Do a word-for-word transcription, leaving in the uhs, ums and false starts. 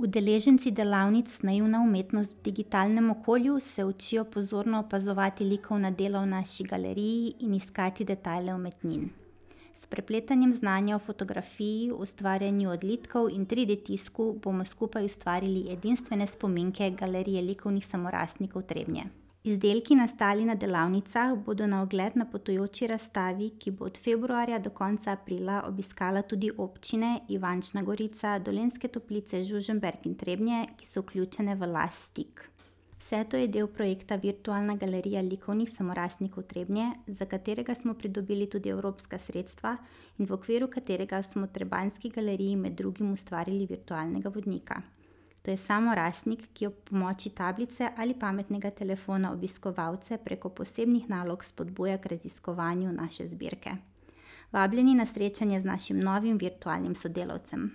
Udeleženci delavnic Naivna umetnost v digitalnem okolju se učijo pozorno opazovati likovna dela v naši galeriji in iskati detajle umetnin. S prepletanjem znanja o fotografiji, ustvarjanju odlitkov in tri D tisku bomo skupaj ustvarili edinstvene spominke Galerije likovnih samorastnikov Trebnje. Izdelki, nastali na delavnicah, bodo na ogled na potujoči razstavi, ki bo od februarja do konca aprila obiskala tudi občine Ivančna Gorica, Dolenjske Toplice, Žužemberk in Trebnje, ki so vključene v Last Stick. Vse to je del projekta Virtualna galerija likovnih samorastnikov Trebnje, za katerega smo pridobili tudi evropska sredstva in v okviru katerega smo Trebanjski galeriji med drugim ustvarili virtualnega vodnika. To je samorastnik, ki ob pomoči tablice ali pametnega telefona obiskovalce preko posebnih nalog spodbuja k raziskovanju naše zbirke. Vabljeni na srečanje z našim novim virtualnim sodelavcem.